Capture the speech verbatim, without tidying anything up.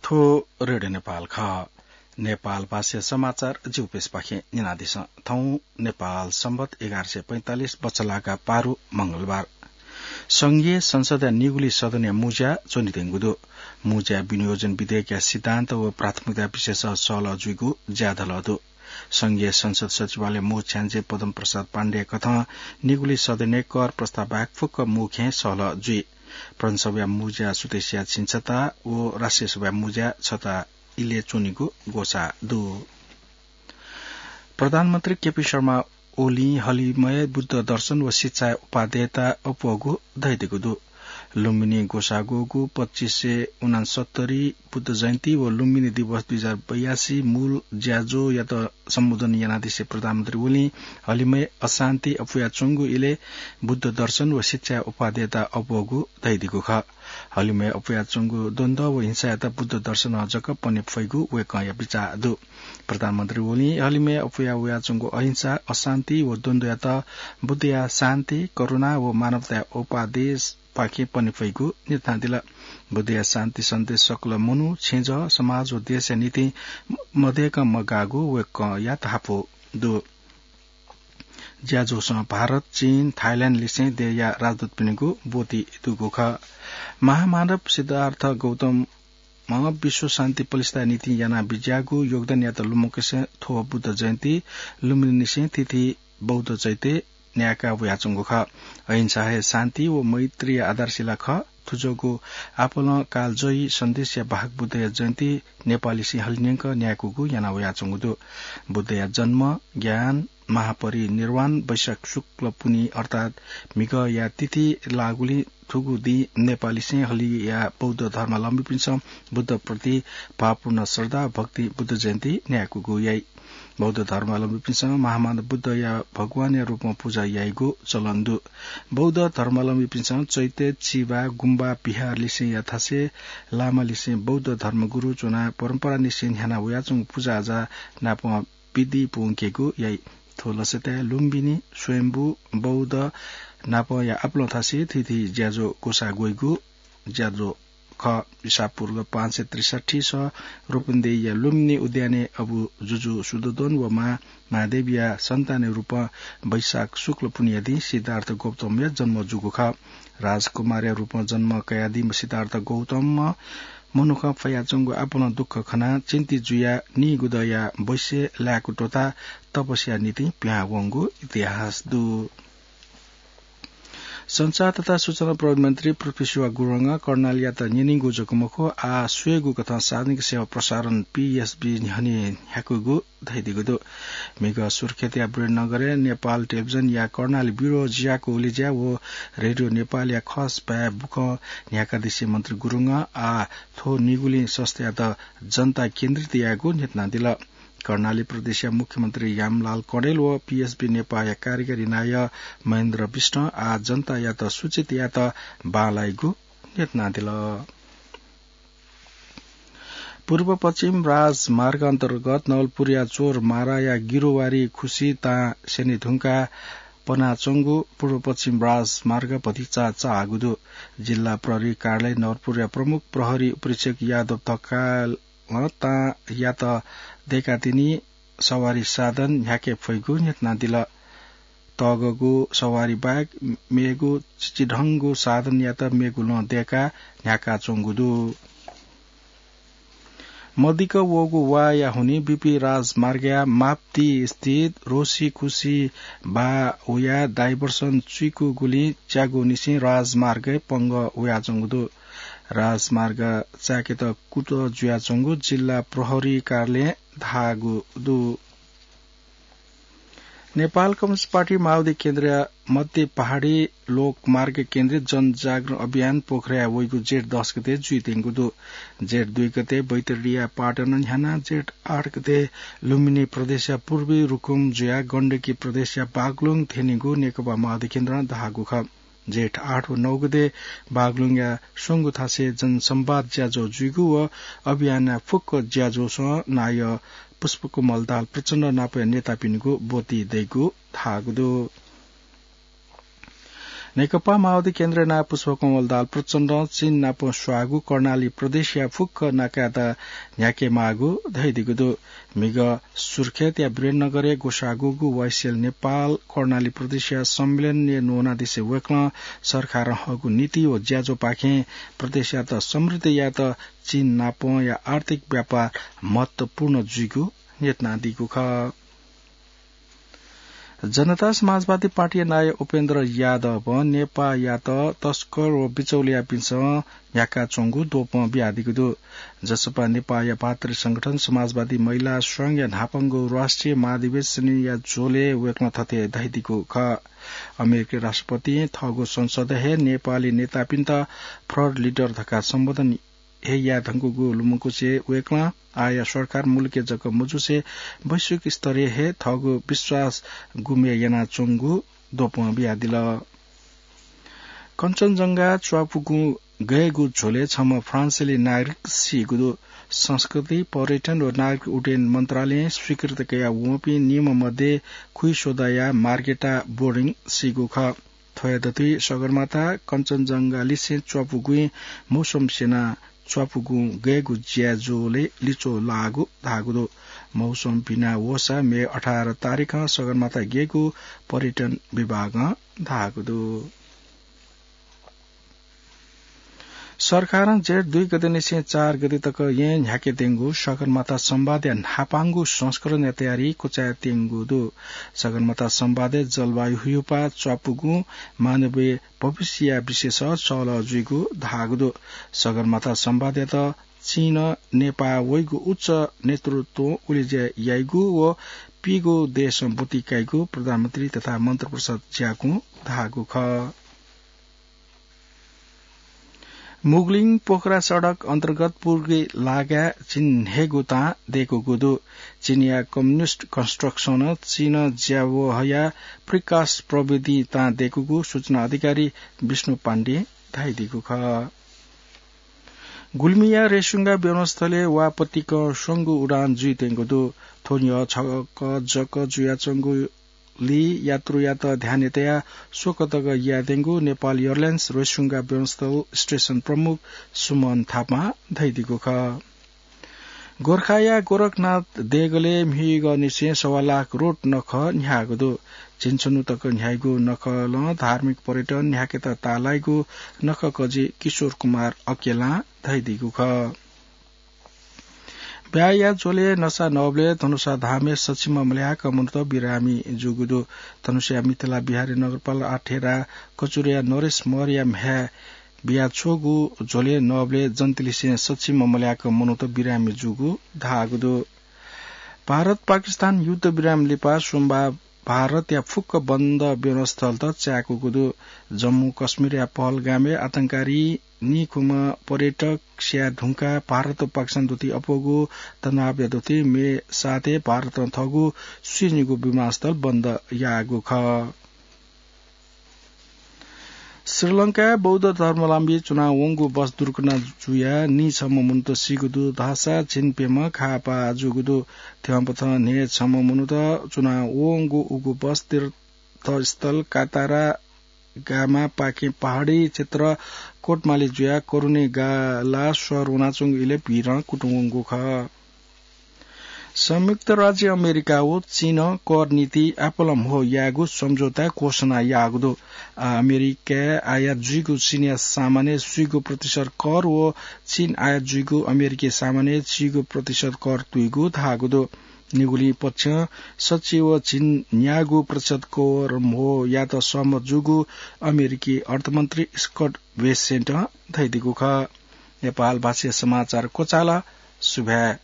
थ्व रेडियो नेपाल खः। नेपाल भाषा समाचार जिउपेसपाखें न्यनादिसँ। थौं नेपाल संवत एघार सय पैंतालिस बचलाका पारु मंगलबार। संघीय संसदया निगुली सदनया मुज्या च्वनेत्यंगु दु। मुज्या विनियोजन विधेयकया सिद्धान्त व प्राथमिकता विषयस सहलह जुइगु ज्याझ्वलय् दु। संघीय संसद सचिवालय मू छ्याञ्जे पद्म प्रसाद पाण्डेया कथं निगुली सदनय् कर प्रस्ताव बाहेक फुक्क मू खँय् सहलह जुइ। प्रदेशसभाया मुज्या सुतेसिया छिंछता व राष्ट्रिय सभाया मुज्या छता इलय् च्वनीगु ग्वसाः दु। प्रधानमन्त्री केपी शर्मा ओलीं हलिमय् बुद्ध दर्शन व शिक्षाया उपादेयता अप्वःगु धयादीगु दु। लुम्बिनी ग्वसाः ग्वःगु पच्चिस सय उनासत्तरी बुद्ध जयन्ती व लुम्बिनी दिवस दुई हजार बयासी मूल ज्याझ्वःयात सम्बोधन यानादिसे प्रधानमन्त्री ओलीं हलिमय् अशान्ति अप्वयाच्वंगु इलय् बुद्ध दर्शन व शिक्षाया उपादेयता अप्वःगु धयादीगु खः। हलिमय् अप्वयाच्वंगु द्वन्द्व व हिंसायात बुद्ध दर्शनं जक पने फइगु वय्कःया बिचाः दु। प्रधानमन्त्री ओलीं हलिमय् अप्वया वयाच्वंगु अहिंसा, अशान्ति व द्वन्द्वयात बुद्धया शान्ति, करुणा व मानवताया उपादेयपाखें पने फइगु न्ह्यथनादिल। बुद्धया शान्ति सन्देश सकल मनू, छेँजः, समाज व देशया निंतिं मदय्कं मगाःगु वय्कःया धापू दु। ज्याझ्वलय् भारत, चीन, थाइल्याण्ड लिसें देय्या राजदूतपिनिगु ब्वति दुगु खः। महामानव सिद्धार्थ गौतमं विश्व शान्ति पलिस्था निंतिं याना बिज्याःगु योगदानयात लुमंकेसें थ्व बुद्ध जयन्ती लुम्बिनीनिसें थीथी बौद्ध चैत्य न्यायेका वयाच्वंगु खः। अहिंसा हे शान्ति व मैत्रीया आधारशिला खः। थुज्वःगु आपालं कालजयी सन्देशया वाहक बुद्धया जयन्ती नेपाःलिसें हलिंन्यंक न्यायेकूगु याना वयाच्वंगु दु। बुद्धया जन्म, ज्ञान, महापरिनिर्वाण वैशाख शुक्ल पुन्हि अर्थात् म्हिगःया तिथि लाःगुलिं थुगु दिं नेपाःलिसें हलिया बौद्ध धर्मावलम्बीपिन्सं बुद्धप्रति भावपूर्ण श्रद्धा भक्ति बुद्ध जयन्ती न्यायेकूगु याइ। बौद्ध धर्मावलम्बीपिन्सं महामानव बुद्धया भगवानया रूपं पुजा याइगु चलन दु। बौद्ध धर्मावलम्बीपिन्सं चैत्य, चिबा, गुम्बा, विहार लिसेंया थासय् लामा लिसें बौद्ध धर्मगुरु च्वनाः परम्परानिसें न्ह्याना वयाच्वंगु पुजाआजा नापं विधि पूवंकेगु याइ। थ्व लसताय् लुम्बिनी, स्वयम्भू, बौद्ध नापंया आपालं थासय् थीथी ज्याझ्वः ग्वसाः ग्वइगु ज्याझ्वः खः। ईसापूर्व पाँच सय त्रिसठ्ठी स रूपन्देहीया लुम्बिनी उद्यानय् अबु जुजु शुद्धोदन व मां महादेवीया सन्तानया रूपं वैशाख शुक्ल पुन्हिया दिं सिद्धार्थ गौतमया जन्म जूगु खः। राजकुमारया रूपं जन्म कयादीम्ह सिद्धार्थ गौतमं मनुखं फयाच्वंगु आपालं दुःख खनाः चिन्तित जुयाः नीगुदँया बैसय् लाय्कु त्वःताः तपस्याया निंतिं पिहां वंगु इतिहास दु। सञ्चार तथा सूचना प्रविधि मन्त्री पृथ्वीशुवा गुरुङं कर्णालीयात न्यनीगु जक मखु, आः स्वयेगु कथं सार्वजनिक सेवा प्रसारण, पीएसबी, न्ह्यःने न्ह्याकूगु धयादीगु दु। म्हिगः सुर्खेतया वीरनगरय् नेपाल टेलिभिजनया कर्णाली ब्युरो ज्याकू उलेज्या व रेडियो नेपालया खस भाय् बुखँ न्ह्याकादिसें मन्त्री गुरुङं आः थ्व निगुलिं संस्थायात जनता केन्द्रित यायेगु न्ह्यथनादिल। कर्णाली प्रदेशया मुख्यमन्त्री यामलाल कँडेल व पीएसबी नेपाःया कार्यकारी नायः महेन्द्र विष्टं आः जनतायात सूचित यायेत बांलाइगु न्ह्यथनादिल। पूर्व पश्चिम राजमार्ग अन्तर्गत नवलपुरया चोरमाराया गिरोवारी खुसी तां स्यने धुंकाः पनाच्वंगु पूर्व पश्चिम राजमार्ग भतिचा चाःगु दु। जिल्ला प्रहरी कार्यालय नवलपुरया प्रमुख प्रहरी उपरीक्षक यादव ढकालं तांयात दय्कातिनि सवारी साधन न्ह्याके फइगु न्ह्यथनादिल। तःगःगु सवारी बाहेक मेगु चिचिधंगु साधनयात मेगु लं दय्काः न्ह्याकाच्वंगु दु। मदिक्क वःगु वाःया हुनिं बीपी राजमार्गया माप्ती स्थित रोसीकुसी बाः हुयाः डाइभर्सन चुइकूगुलिं च्यागूनिसें राजमार्गय् पंगः हुयाच्वंगु दु। राजमार्ग चाय्केत कुतः जुयाच्वंगु जिल्ला प्रहरी कार्यालयं धाःगु दु। नेपाल कम्युनिस्ट पार्टी माओवादी केन्द्रया मध्य पहाडी लोकमार्ग केन्द्रित जनजागरण अभियान पोखराय् वइगु जेठ दस गते जुइत्यंगु दु। जेठ दुई गते बैतडीया पाटन न्ह्यानाः जेठ आठ गते लुम्बिनी प्रदेशया पूर्वी रुकुम जुयाः गण्डकी प्रदेशया बागलुङ थ्यनीगु नेकपा माओवादी केन्द्रं धाःगु खः। जेठ आठ व नौ गते बागलुङया स्वंगू थासय् जनसंवाद ज्याझ्वः जुइगु व अभियानया फुक्क ज्याझ्वःसं नायः पुष्पकमल दाहाल प्रचण्ड नापया नेतापिनिगु ब्वति दइगु धाःगु दु। नेकपा माओवादी केन्द्रया नायः पुष्पकमल दाहाल प्रचण्डं चीन नाप स्वाःगु कर्णाली प्रदेशया फुक्क नाकायात न्ह्याके माःगु धयादीगु दु। म्हिगः सुर्खेतया वीरेन्द्रनगरय् ग्वसाःगु वाइसिएल नेपाल कर्णाली प्रदेशया सम्मेलनय् न्वनादिसे वय्कलं सरकारं हःगु नीति व ज्याझ्वःपाखें प्रदेशयात समृद्ध यायेत चीन नापंया आर्थिक व्यापार महत्वपूर्ण जुइगु न्ह्यथनादीगु खः। जनता समाजवादी पार्टीया नायः उपेन्द्र यादवं नेपाःयात तस्कर व बिचौलियापिन्सं न्ह्याकाच्वंगु द्वपं बियादीगु दु। जसपा नेपाःया भातृ संगठन समाजवादी महिला संघया न्हापांगु राष्ट्रिय महाधिवेशनया झ्वलय् वय्कलं थथे धयादीगु खः। अमेरिकी राष्ट्रपतिं थःगु संसदय् हे नेपाली नेतापिन्त फ्रड लिडर धकाः सम्बोधन हे याये धुंकूगु लुमंकुसे वय्कलं आःया सरकार मुलुकय् जक मजुसे वैश्विक स्तरय् हे थःगु विश्वास गुमे यानाच्वंगु द्वपं बियादिल। कञ्चनजंघा च्वापुगु गय्गु झ्वलय् छम्ह फ्रान्सेली नागरिक सीगु दु। संस्कृति, पर्यटन व नागरिक उड्डयन मन्त्रालयं स्वीकृति कयावंपिं निम्ह मध्ये खुइस्वदाया मार्गेटा बोरिङ सीगु खः। थ्वया दथुइ सगरमाथा कञ्चनजंघा लिसें च्वापुगुं मौसम स्यनाः च्वापुगुं गय्गु ज्याझ्वलय् लिच्वः लाःगु धाःगु दु। मौसम भिना वःसा मे अठार तारिखं सगरमाथा गय्गु पर्यटन विभागं धाःगु दु। सरकारं जेठ दुई गतेनिसें चार गते तक येँ न्ह्याके त्यंगु सगरमाथा संवादया न्हापांगु संस्करणया तयारी क्वचाय् त्यंगु दु। सगरमाथा संवादय् जलवायु हुयुपा च्वापुगुं मानवीय भविष्यया विषयस सल्लाह जुइगु धाःगु दु। सगरमाथा संवादयात चीनं नेपाः वइगु उच्च नेतृत्वं उलेज्या याइगु व पीगू देशं ब्वति काइगु प्रधानमन्त्री तथा मन्त्रिपरिषद ज्याकुं धाःगु खः। मुगलिङ पोखरा सडक अन्तर्गत पूर्वी लागाय् चीन न्हय्गू तां दय्कूगु दु। चीनया कम्युनिस्ट कन्स्ट्रक्सनं चीनं ज्यावहया प्रिकास्ट प्रविधि तां दय्कूगु सूचना अधिकारी विष्णु पाण्डें धयादीगु खः। गुल्मीया रेसुंगा विमानस्थलय् वापतिकं स्वंगू उडान जुइत्यंगु दु। थ्व न्ह्यः छकः जक जुयाच्वंगु ली यात्रुयात ध्यानय् तयाः स्वकः तक यायेत्यंगु नेपाल एयरलाइन्स रेसुंगा विमानस्थल स्टेसन प्रमुख सुमन थापां धयादीगु खः। गोरखाया गोरखनाथ देगलय् म्हिगःनिसें सवा लाख रोट नखः न्ह्याःगु दु। झिंछन्हु तक न्ह्याइगु नखलं धार्मिक पर्यटन न्ह्याकेत ताःलाइगु नखःकजि किशोर कुमार अकेलां धयादीगु खः। ब्याहा ज्वलय् नसा नःबलय् धनुषा धामय् सछिम्ह मल्याक मनूत बिरामी जूगु दु। धनुषाया मिथिला बिहारी नगरपाल आठेरा कचुरया नरेश मौर्या म्ह्याय् बियाछ्वःगु ज्वलय् नःबलय् जन्तिलिसें सछिम्ह मल्याक मनूत बिरामी जूगु धाःगु दु। भारत पाकिस्तान युद्ध विराम लिपा सोमबार भारतया फुक्क बन्द विमानस्थलत चाय्कूगु दु। जम्मू कश्मीरया पहलगामय् आतंकवादी निखुम्ह पर्यटक स्याये धुंकाः भारत व पाकिस्तान दथुइ अप्वःगु तनावया दथुइ मे सातय् भारतं थःगु स्वीनिगू विमानस्थल बन्द याःगु खः। श्रीलंकाय् बौद्ध धर्मावलम्बी च्वनावंगु बस दुर्घटना जुयाः नीछम्ह मनूत सीगु दु धाःसा झिंप्यम्ह घाःपाः जूगु दु। थ्यंपथं न्हय्छम्ह मनूत च्वनावंगु उगु बस तीर्थस्थल कातारा गामापाखें पहाडी क्षेत्र कोटमाली जुयाः करुणे गाला शहर वनाच्वंगु इलय् भिडं कुतुं वंगु खः। संयुक्त राज्य अमेरिका व चीनं कर नीति आपालं म्हो यायेगु सम्झौता घोषणा याःगु दु। आ, अमेरिकाय् आयात जुइगु चीनया सामानय् स्वीगू प्रतिशत कर व चीन आयात जुइगु अमेरिकी सामानय् स्वीगू प्रतिशत कर तुइगु धाःगु दु। निगुलिं पक्षं सच्छि व झिंन्यागू प्रतिशत कर म्हो यायेत सहमत जूगु अमेरिकी अर्थमन्त्री स्कट बेसेन्टं धयादीगु खः। नेपाल भाषाया समाचार क्वचाल। सुभाय्।